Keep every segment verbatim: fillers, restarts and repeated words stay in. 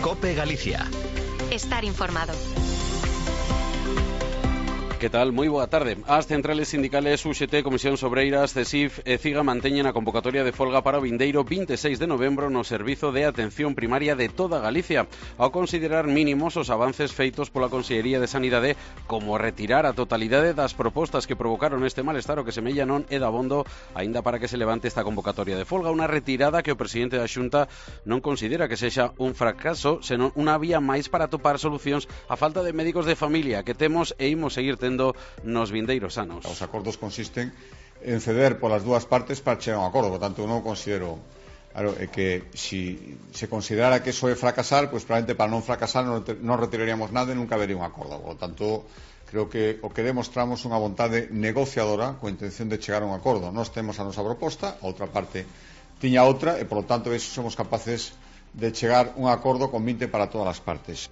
COPE Galicia. Estar informado. Que tal? Moi boa tarde. As centrales sindicales U X T, Comisións Obreiras, CESIF e CIGA manteñen a convocatoria de folga para o vindeiro vinte e seis de novembro no Servizo de Atención Primaria de toda Galicia, ao considerar mínimos os avances feitos pola Consellería de Sanidade, como retirar a totalidade das propostas que provocaron este malestar o que semella non é dabondo aínda para que se levante esta convocatoria de folga, unha retirada que o presidente da Xunta non considera que sexa un fracaso, senón unha vía máis para atopar solucións á falta de médicos de familia que temos e imos seguir tendo nos vindeiros anos. Os acordos consisten en ceder polas dúas partes para chegar a un acordo, por tanto non considero claro, é que si se considerara que eso é fracasar, pois probablemente para non fracasar non, non retiraríamos nada e nunca habería un acordo, por tanto creo que o que demostramos unha vontade negociadora coa intención de chegar a un acordo. Nós temos a nosa proposta, a outra parte tiña outra e por lo tanto eso somos capaces de chegar a un acordo con vinte para todas as partes.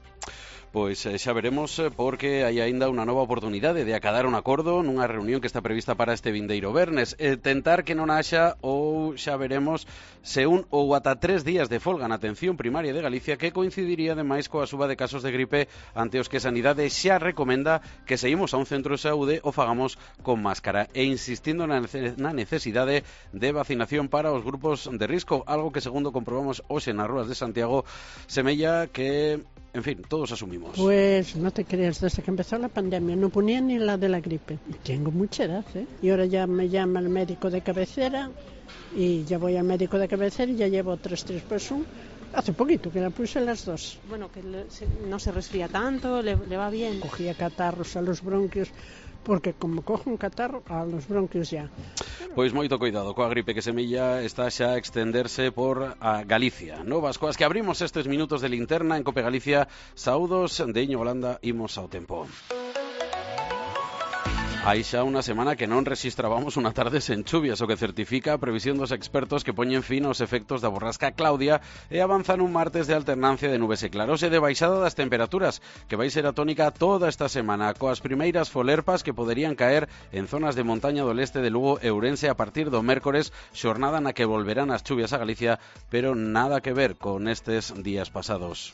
Pois xa veremos, porque hai aínda unha nova oportunidade de acadar un acordo nunha reunión que está prevista para este vindeiro vernes. E tentar que non haxa, ou xa veremos, se un ou ata tres días de folga na atención primaria de Galicia, que coincidiría ademais coa suba de casos de gripe ante os que Sanidade xa recomenda que se imos a un centro de saúde o fagamos con máscara, e insistindo na necesidade de vacinación para os grupos de risco, algo que segundo comprobamos hoxe nas rúas de Santiago semella que, en fin, todos asumimos. Pues no te creas, desde que empezó la pandemia no ponía ni la de la gripe. Tengo mucha edad, ¿eh? Y ahora ya me llama el médico de cabecera y ya voy al médico de cabecera y ya llevo tres, tres pues un. Hace poquito que la puse las dos. Bueno, que le, se, no se resfría tanto, le, le va bien. Cogía catarros a los bronquios, porque como cojo un catarro a los bronquios ya. Pois moito cuidado coa gripe que semella está xa a extenderse por a Galicia. Novas coas que abrimos estes minutos de linterna en COPE Galicia. Saúdos de Iño Holanda, imos ao tempo. Hai xa unha semana que non rexistrábamos unha tarde sen chuvias, o que certifica a previsión dos expertos que poñen fin aos efectos da borrasca Claudia e avanzan un martes de alternancia de nubes e claros e de baixada das temperaturas, que vai ser a tónica toda esta semana, coas primeiras folerpas que poderían caer en zonas de montaña do leste de Lugo e Ourense a partir do mércores, xornada na que volverán as chuvias a Galicia, pero nada que ver con estes días pasados.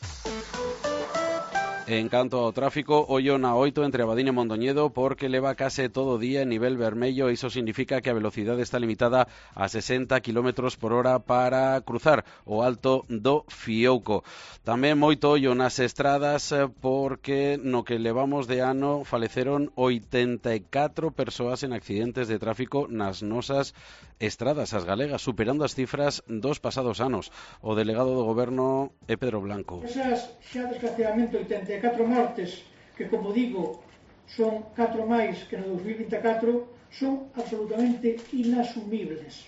En canto ao tráfico, ollo na oito entre Abadín e Mondoñedo, porque leva case todo o día en nivel vermello e iso significa que a velocidade está limitada a sesenta kilómetros por hora para cruzar o alto do Fiouco. Tamén moito ollo nas estradas, porque no que levamos de ano faleceron oitenta e catro persoas en accidentes de tráfico nas nosas estradas, as galegas, superando as cifras dos pasados anos. O delegado do goberno é Pedro Blanco. Esas xa desgraciadamente oitenta e catro mortes, que como digo son catro máis que no dos mil vinte e catro, son absolutamente inasumibles.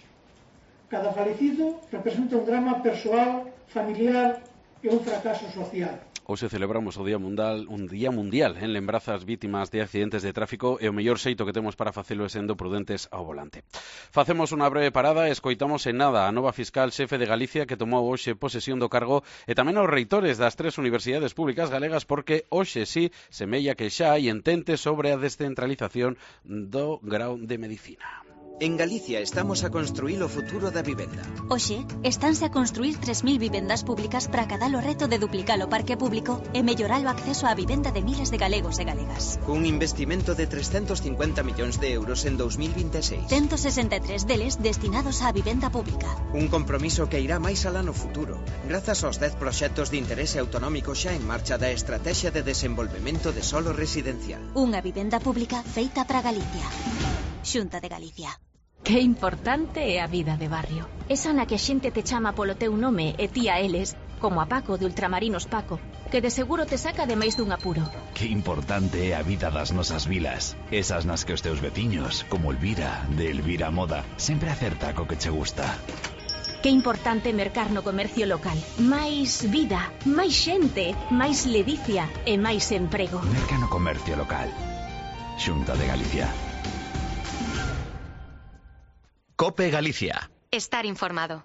Cada falecido representa un drama persoal, familiar e un fracaso social. Hoxe celebramos o Día Mundial, un Día Mundial en lembranza ás vítimas de accidentes de tráfico e o mellor xeito que temos para facelo é sendo prudentes ao volante. Facemos unha breve parada e escoitamos en nada a nova fiscal xefe de Galicia que tomou hoxe posesión do cargo e tamén aos reitores das tres universidades públicas galegas, porque hoxe sí semella que xa hai entente sobre a descentralización do grao de Medicina. En Galicia estamos a construir o futuro da vivenda. Hoxe, estánse a construir tres mil vivendas públicas para acadar o reto de duplicar o parque público e mellorar o acceso á vivenda de miles de galegos e galegas. Un investimento de trescentos cincuenta millóns de euros en dos mil vinte e seis. ciento sesenta e tres deles destinados á vivenda pública. Un compromiso que irá máis alá no futuro, grazas aos dez proxectos de interese autonómico xa en marcha da Estrategia de Desenvolvemento de Solo Residencial. Unha vivenda pública feita para Galicia. Xunta de Galicia. Que importante é a vida de barrio. Esa na que a xente te chama polo teu nome e ti a eles, como a Paco de Ultramarinos Paco, que de seguro te saca de máis dun apuro. Que importante é a vida das nosas vilas. Esas nas que os teus veciños, como Elvira, de Elvira Moda, sempre acerta co que che gusta. Que importante mercar no comercio local. Máis vida, máis xente, máis ledicia e máis emprego. Merca no comercio local. Xunta de Galicia. COPE Galicia. Estar informado.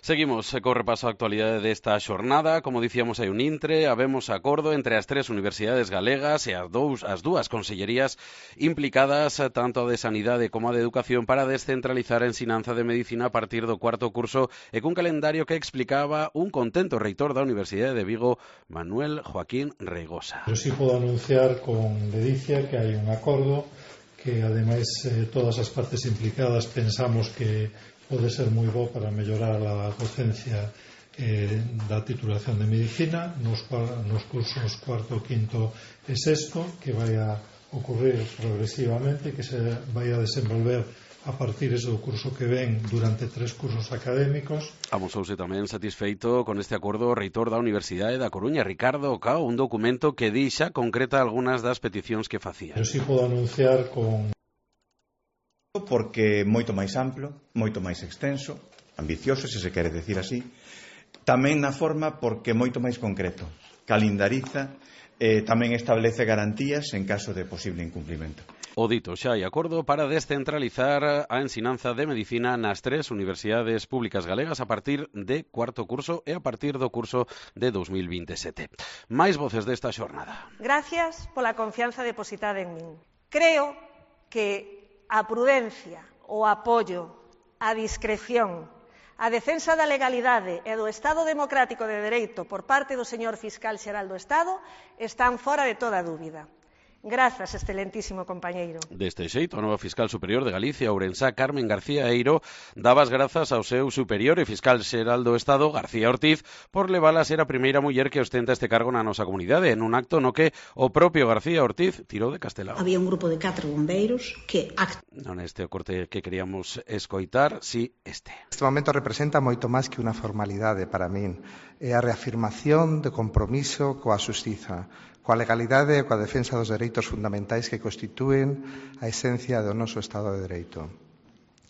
Seguimos co repaso a actualidade desta xornada. Como dicíamos, hai un intre, habemos acordo entre as tres universidades galegas e as, dous, as dúas consellerías implicadas, tanto a de Sanidade como a de Educación, para descentralizar a ensinanza de Medicina a partir do cuarto curso e cun calendario que explicaba un contento reitor da Universidade de Vigo, Manuel Joaquín Reigosa. Eu si podo anunciar con ledicia que hai un acordo que, ademais, eh, todas as partes implicadas pensamos que pode ser moi bo para mellorar a docencia eh, da titulación de Medicina nos, nos cursos cuarto, quinto e sexto, que vai a ocurrir progresivamente, que se vai a desenvolver a partir do curso que ven durante tres cursos académicos. Amosouse tamén satisfeito con este acordo o reitor da Universidade da Coruña, Ricardo Cao, un documento que dixa concreta algunhas das peticións que facía. Eu si podo anunciar con porque moito máis amplo, moito máis extenso, ambicioso, se se quere decir así, tamén na forma porque moito máis concreto, calendariza, eh, tamén establece garantías en caso de posible incumplimento. O dito, xa hai acordo para descentralizar a ensinanza de Medicina nas tres universidades públicas galegas a partir de cuarto curso e a partir do curso de dos mil veintesete. Máis voces desta xornada. Gracias pola confianza depositada en min. Creo que a prudencia, o apoio, a discreción, a defensa da legalidade e do Estado democrático de dereito por parte do señor Fiscal Xeral do Estado están fora de toda dúbida. Grazas, excelentísimo compañeiro. Deste xeito, a nova fiscal superior de Galicia, Ourensá, Carmen García Eiro, daba as grazas ao seu superior e fiscal xeral do Estado, García Ortiz, por levala a ser a primeira muller que ostenta este cargo na nosa comunidade, en un acto no que o propio García Ortiz tirou de Castelao. Había un grupo de catro bombeiros que... Non este o corte que queríamos escoitar, si este. Este momento representa moito máis que unha formalidade para min. É a reafirmación de compromiso coa xustiza, coa legalidade e coa defensa dos dereitos fundamentais que constitúen a esencia do noso Estado de Dereito.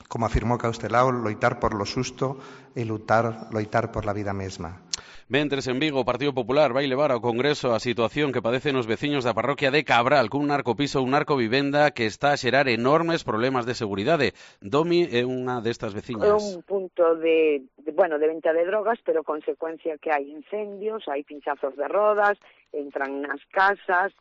Como afirmou Castelao, loitar por lo xusto e lutar, loitar por la vida mesma. Mentres en Vigo o Partido Popular vai levar ao Congreso a situación que padecen os veciños da parroquia de Cabral cun narcopiso, un narcovivenda que está a xerar enormes problemas de seguridade. Domi é unha destas veciñas. É un punto de, de, bueno, de venta de drogas, pero consecuencia que hai incendios, hai pinchazos de rodas, entran nas casas,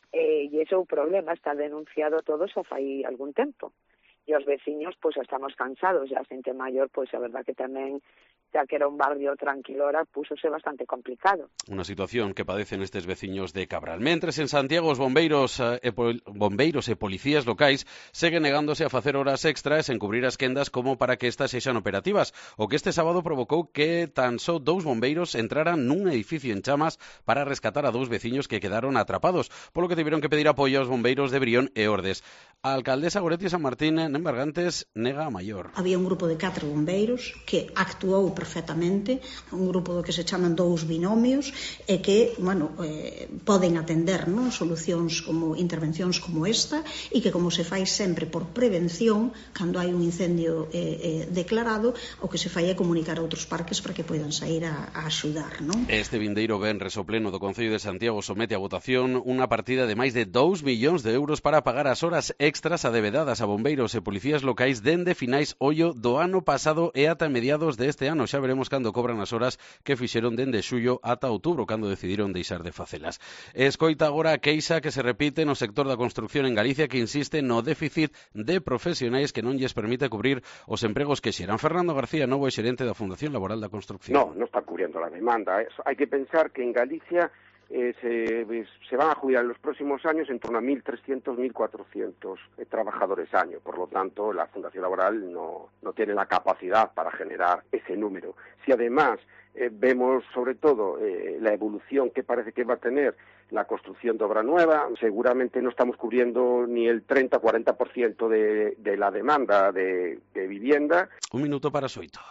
eh, e ese é o problema, está denunciado todo xa fai algún tempo. E os veciños, pois, estamos cansados, e a xente maior, pois, a verdad que tamén, xa que era un barrio tranquilora, púsose bastante complicado. Unha situación que padecen estes veciños de Cabral. Mentres en Santiago os bombeiros e, pol, bombeiros e policías locais seguen negándose a facer horas extras en cubrir as quendas como para que estas sexan operativas, o que este sábado provocou que tan só dous bombeiros entraran nun edificio en chamas para rescatar a dous veciños que quedaron atrapados, polo que tiveron que pedir apoio aos bombeiros de Brión e Ordes. A alcaldesa Goretti San Martín en Bargantes nega a maior. Había un grupo de catro bombeiros que actuou perfectamente, un grupo do que se chaman dous binomios e que, bueno, eh, poden atender, non, solucións como intervencións como esta e que, como se fai sempre por prevención, cando hai un incendio eh, eh, declarado, o que se fai é comunicar a outros parques para que poidan sair a, a axudar, non? Este vindeiro venres o pleno do Concello de Santiago somete a votación unha partida de máis de dous millóns de euros para pagar as horas extras adevedadas a bombeiros e policías locais dende finais ollo do ano pasado e ata mediados deste ano. Xa veremos cando cobran as horas que fixeron dende xullo ata outubro, cando decidiron deixar de facelas. Escoita agora a queixa que se repite no sector da construción en Galicia, que insiste no déficit de profesionais que non lles permite cubrir os empregos que xeran. Fernando García, novo xerente da Fundación Laboral da Construcción. No, no está cubriendo la demanda. Hay que pensar que en Galicia Eh, se, se van a jubilar en los próximos años en torno a mil trescientos, mil cuatrocientos eh, trabajadores año. Por lo tanto, la Fundación Laboral no, no tiene la capacidad para generar ese número. Si además eh, vemos sobre todo eh, la evolución que parece que va a tener la construcción de obra nueva, seguramente no estamos cubriendo ni el treinta a cuarenta por ciento de, de la demanda de, de vivienda. Un minuto para Soito.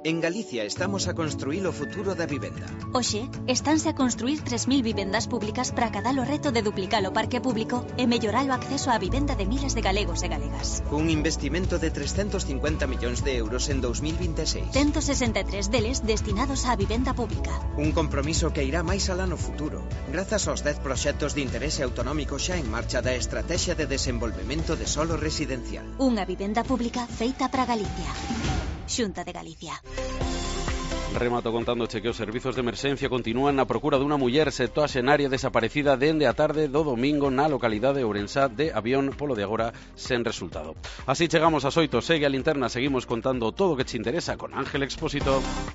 En Galicia estamos a construir o futuro da vivenda. Oxe, estánse a construir tres mil vivendas públicas para acadar o reto de duplicar o parque público e mellorar o acceso á vivenda de miles de galegos e galegas. Un investimento de trescentos cincuenta millóns de euros en dos mil veintiséis. ciento sesenta e tres deles destinados á vivenda pública. Un compromiso que irá máis alá no futuro, grazas aos dez proxectos de interese autonómico xa en marcha da Estrategia de Desenvolvemento de Solo Residencial. Unha vivenda pública feita para Galicia. Xunta de Galicia. Remato contándoche que os servizos de emerxencia continúan na procura dunha muller septuaxenaria desaparecida dende a tarde do domingo na localidade de Ourensá de Avión, polo de agora sen resultado. Así chegamos ás oito, segue a linterna, seguimos contando todo o que te interesa con Ángel Expósito.